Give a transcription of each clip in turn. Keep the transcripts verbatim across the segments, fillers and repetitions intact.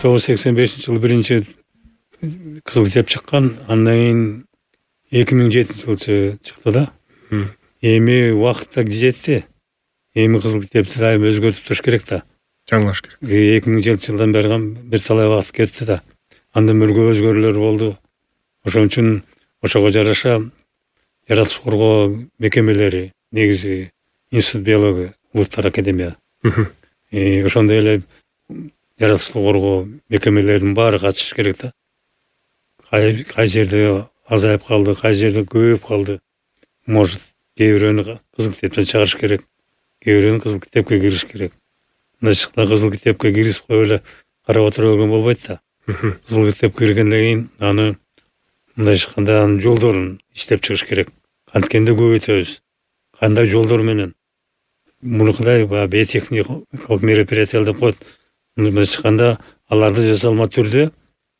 тогуз жүз сексен бешинчи жылы биринчи кызыл китеп чыккан, андан кийин эки миң жетинчи жылы чыкты да. Эми убакыт да жетти. Эми кызыл китепти дайым өзгөртүп туруш керек да. Жаңылаш керек. эки миң жетинчи жылдан бери бир талай убакыт кетти да. Андан мөргө өзгөрүүлөр болду. Ошон үчүн ошого жараша жаратылыш коргоо мекемелери, негизи Институт биология, Улуттар академия. Э ошондой эле жаратылышты коргоо мекемелеринин баары катышыш керек да. Кай кай жерде азайып калды, кай жерде көбөйүп калды. Может, кээ бирөөнү кызыл китептен чыгарыш керек, кээ бирөөнү кызыл китепке кириш керек. Мындай чыкканда кызыл китепке киргизип коюп эле карап отура берген болбойт да. Кызыл китепке киргенден кийин аны мындай чыкканда анын жолдорун иштеп чыгыш керек. Канткенде көбөйтөбүз, кандай жолдор менен. Мунукудай баягы биотехникалык мероприятиялар деп коет. Мындай чыкканда аларды жасалма түрдө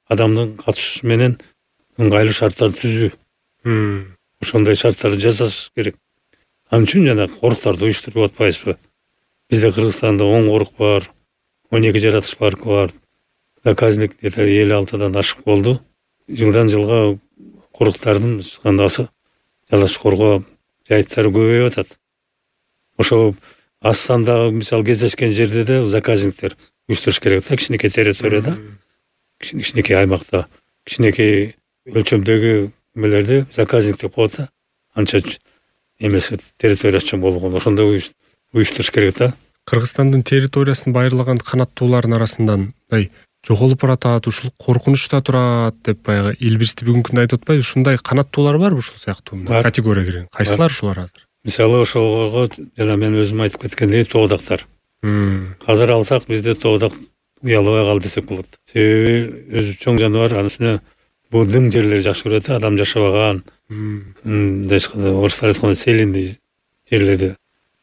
адамдын катышуусу менен ыңгайлуу шарттарды түзүү. Ошондой шарттарды жасаш керек. Ал үчүн жана коруктарды уюштуруп атпайбызбы? Бизде Кыргызстанда он корук бар, он эки жаратылыш паркы бар. Заказник где-то элүү алтыдан ашык болду. Жылдан жылга коруктардын чыккандасы жаратылыш коргоо жайыттары көбөйүп атат. Ошо аз сандагы мисалы кездешкен жерде де заказниктер уюштуруш керек да, кичинекей территорияда, кичинекей аймакта, кичинекей өлчөмдөгү эмелерди заказник деп коет да. Анча эмеси территориясы чоң болгон, ошондой уюштуруш керек да. Кыргызстандын территориясын байырлаган канаттуулардын арасынан мындай жоголуп баратат, ушул коркунучта турат деп баягы Илбирсти бүгүнкү күндө айтып атпайбы? Ушундай канаттуулар барбы ушул сыяктуу категория кирген? Кайсылар ушулар азыр? Мисалы ошого жана мен өзүм айтып кеткендей тоодактар. Казыр алсак бизде тоодак уялбай калды десек болот. Себеби өзү чоң жаныбар, анысына бул дың жерлер жакшы көрөт, адам жашабаган. Мындай орустар айткандай селиндий жерлерди.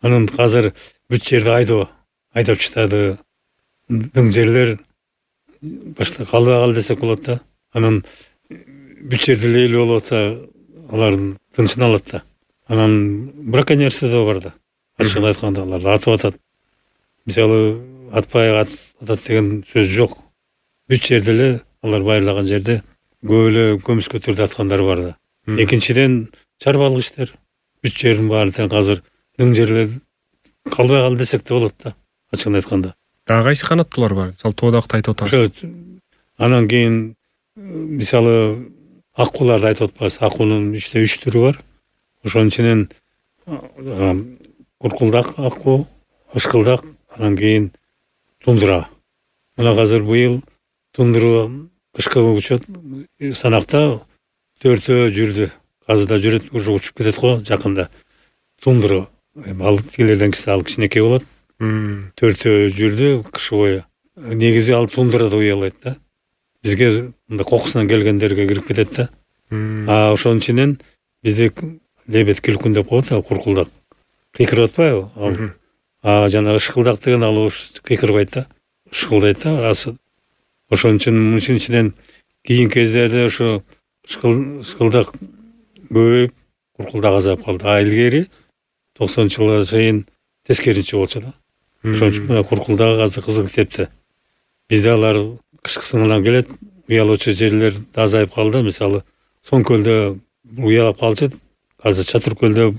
Анын азыр бүт жерди айдоо, айдап чыгады. Дың жерлер башка калбай калды десек болот да. Анан бүт жерде эле болуп атса, алардын тынчын алат да. Анан браконьерство да бар да. Ачыгын айтканда аларды атып атат. Мисалы атпай атат деген сөз жок. Бүт жерде эле алар байырлаган жерде көп эле көмүскө түрдө аткандар бар да. Экинчиден чарбалык иштер. Бүт жердин баары тең азыр дың жерлер калбай калды десек да болот да. Ачыгын айтканда. Дагы кайсы канаттуулар бар? Мисалы тоодакты айтып атабыз. Анан кийин мисалы аккууларды айтып атпайбыз. Аккуунун үчтө үч түрү бар. Ошонун ичинен куркулдак аккуу, ышкылдак, анан кийин тундра. Мына азыр быйыл тундра кышкы учет санакта төртөө жүрдү. Казыда жүрөт, уже учуп кетет го жакында. Тундра. Ал тилерден кийин ал кичинекей болот. Төртөө жүрдү кыш бою. Негизи ал тундрада уялайт да. Бизге мындай кокусунан келгендерге кирип кетет да. А ошонун ичинен бизде лебед килкун деп коет, куркулдак. Кыйкырып атпайбы? Ал. А жана ышкылдак деген ал кыйкырбайт да. Ышкылдайт да. Ошон үчүн мунун ичинен кийинки кездерде ошо ышкылдак көбөйүп, куркулдак азайып калды. А илгери токсонунчу жылга чейин тескеринче болчу да. Ошон үчүн мына куркулдак азыр кызыл китепте. Бизде алар кышкысынан келет, уялуучу жерлер азайып калды. Мисалы, Соң көлдө уялап калчу. Азыр Чатыр көлдө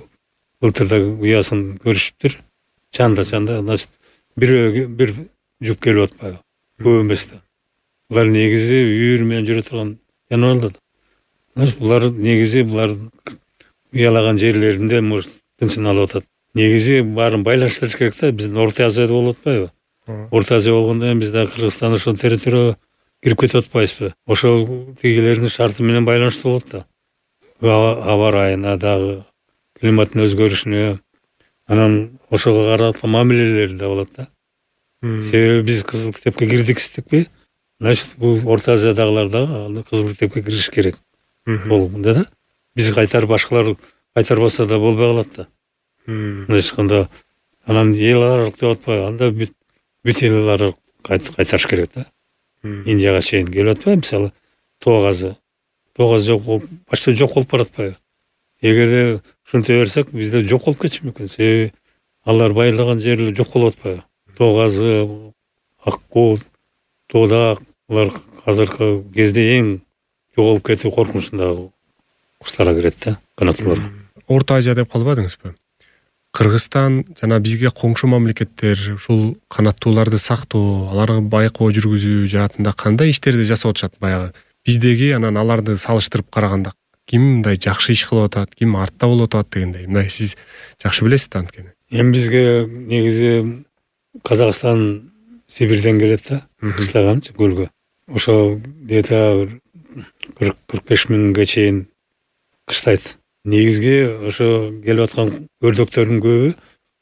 былтырда уясын көрүшүптүр. Чанда чанда, значит, бир бир жуп келип атпайбы? Көп эмес да. Булар негизи үйүр менен жүрө турган жаныбарлар. Значит, булар негизи булар уялаган жерлеринде может тынчын алып атат. Негизи баарын байланыштырыш керек да. Биздин Орто Азияда болуп атпайбы? Орто Азия болгондо бизде Кыргызстан ошол территорияга кирип кетип атпайбызбы? Ошол тигилердин шарты менен байланыштуу болот да. Аба ырайына дагы, климаттын өзгөрүшүнө, анан ошого караткан мамилелери да болот да. Себеби биз кызыл китепке кирдиксиздикпи? Значит, бул Орто Азиядагылар дагы кызыл китепке кириш керек. Болгондо да. Биз кайтарып башкалар кайтарбаса да болбой калат да. Мындай айтканда, анан эл аралык деп атпайбы? Анда бүт бүт эл аралык кайтарыш керек да. Индияга чейин келип атпайбы? Мисалы, тоо газы. Тоо газ жок болуп, башта жок болуп баратпайбы? Эгерде ушинте берсек, бизде жок болуп кетиши мүмкүн. Себеби алар байырлаган жерлер жок болуп атпайбы? Тоо газы, аккуу, тоодак, Булар азыркы кезде эң жоголуп кетүү коркунучундагы куштарга кирет да, канаттуулар. Орто Азия деп калбадыңызбы? Кыргызстан жана бизге коңшу мамлекеттер ушул канаттууларды сактоо, аларга байкоо жүргүзүү жаатында кандай иштерди жасап атышат баягы? Биздеги анан аларды салыштырып караганда ким мындай жакшы иш кылып атат, ким артта болуп атат дегендей. Мындай сиз жакшы билесиз да анткени. Эми бизге негизи Казакстан Сибирден келет да, кыштаган көлгө. Ошо где-то кырк кырк беш миңге чейин кыштайт. Негизги ошо келип аткан өрдөктөрдүн көбү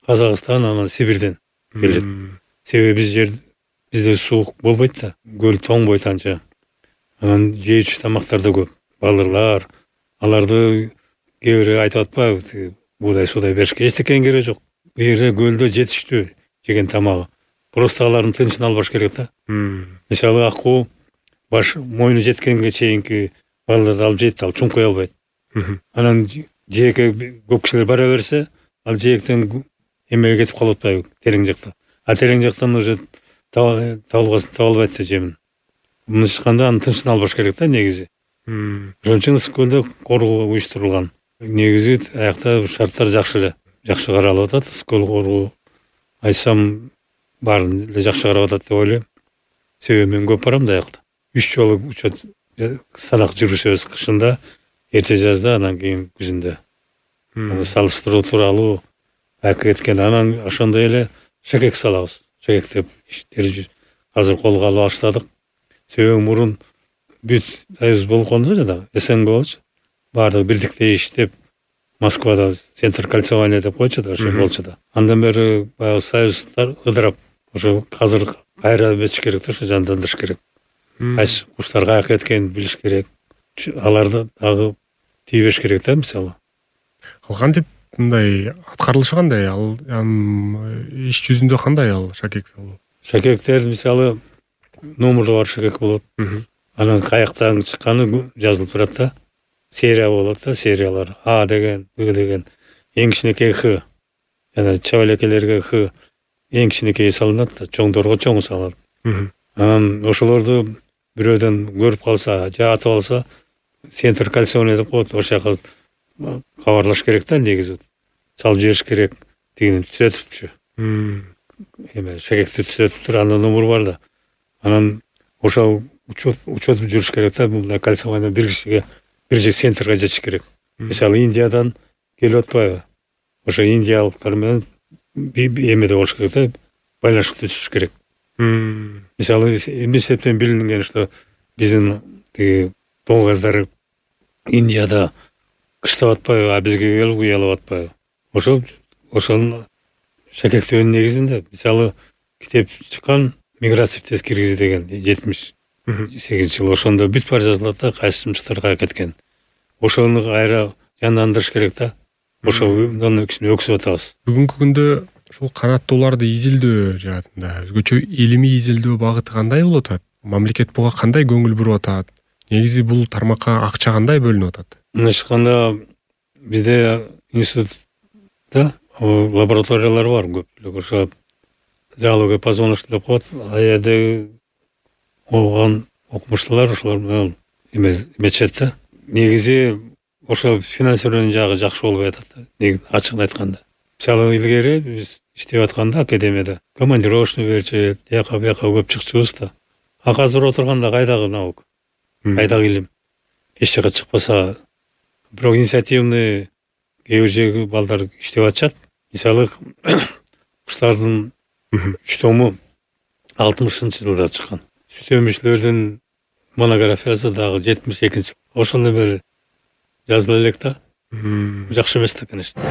Казакстан анан Сибирден келет. Себеби биз жер бизде суук болбойт да, көл тоңбойт анча. Анан жеүүчү тамактар да көп. Балырлар, аларды кээ бири айтып атпайбы, буудай суудай беришке эчтеке кереги жок. Бу жерде көлдө жетиштүү жеген тамагы. Просто алардын тынчын албаш керек да. Мисалы аккуу баш мойну жеткенге чейинки балдарды алып жейт, ал чуңкуй албайт. Анан жээкке көп кишилер бара берсе, ал жээктен эмеге кетип калып атпайбы, терең жакта. А терең жактан уже табылгасын таба албайт да жемин. Мындайча айтканда анын тынчын албаш керек да негизи. Ошон үчүн ысык көлдө коргоо уюштурулган. Негизи аякта шарттар жакшы эле, жакшы каралып атат. Ысык көл коргоо айтсам баарын эле жакшы карап атат деп ойлойм. Себеби мен көп барам да аякта. Үч жолу учет санак жүрүшөбүз кышында, эрте жазда, анан кийин күзүндө. Аны салыштыруу тууралуу айкы кеткен. Анан ошондой эле шекек салабыз. Шекек деп иштерди азыр колго алып баштадык. Себеби мурун бүт союз болгондо жана СНГ болчу. Баардыгы бирдиктей иштеп, Москвада центр кольцевания деп койчу да, ошо болчу да. Андан бери баягы союздар ыдырап, ошо азыр кайра бечиш керек да, ошо жандандырыш керек. Кайсы куштар каяка кеткенин билиш керек. Аларды дагы тийбеш керек да, мисалы. Ал кантип мындай аткарылышы кандай? Ал иш жүзүндө кандай ал шакек салуу? Шакектер мисалы номеру бар шакек болот. Анан каяктан чыкканы жазылып турат да. Серия болот да, сериялар. А деген, Б деген, эң кичинекей Х. Жана чабалекелерге Х эң кичинекей салынат да, чоңдорго чоң салынат. Анан ошолорду бирөөдөн көрүп калса, же атып алса, центр кольцевания деп коет, ошол жака кабарлаш керек да, негизи. Салып жибериш керек, тигини түзөтүпчү. Эме шакекти түзөтүп тур, андан номер бар да. Анан ошо учет учет жүрүш керек да, мындай кольцевания бир кишиге бир же центрге жетиш керек. Мисалы Индиядан келип атпайбы? Ошо индиялыктар менен эмеде болуш керек да, байланыш түзүш керек. Мисалы эсептен билинген, что биздин тиги тоңгаздар Индияда кыштап атпайбы, а бизге келип уялап атпайбы? Ошо ошонун шакектөөнүн негизинде, мисалы китеп чыккан «Миграция в Киргиз» деген жетимиш сегизинчи жыл, ошондо бүт баары жазылат да, кайсы жумуштар каяка кеткен. Ошону кайра жандандырыш керек да. Ошонун үчүн өксүп атабыз. Бүгүнкү күндө ушул канаттууларды изилдөө жаатында өзгөчө илимий изилдөө багыты кандай болуп атат? Мамлекет буга кандай көңүл буруп атат? Негизи бул тармакка акча кандай бөлүнүп атат? Мындайча айтканда, бизде институтта лабораториялар бар көп. Ошо залога позвоночный деп коет. А жерде окуган окумуштуулар ошолор менен эметишет да. Негизи ошо финансирование жагы жакшы болбой атат да, ачыгын айтканда. Мисалы илгери биз иштеп атканда академияда командировочный берчү, жака бияка көп чыкчубуз да. А азыр отурганда кайдагы наука, кайдагы илим? Эч жака чыкпаса, бирок инициативный кээ бир жерге балдар иштеп атышат. Мисалы куштардын үч тому алтымышынчы жылда чыккан. Сүт өмүчүлөрдүн монографиясы дагы жетимиш экинчи жыл. Ошондой бир жазыла элек да. Жакшы эмес да, конечно.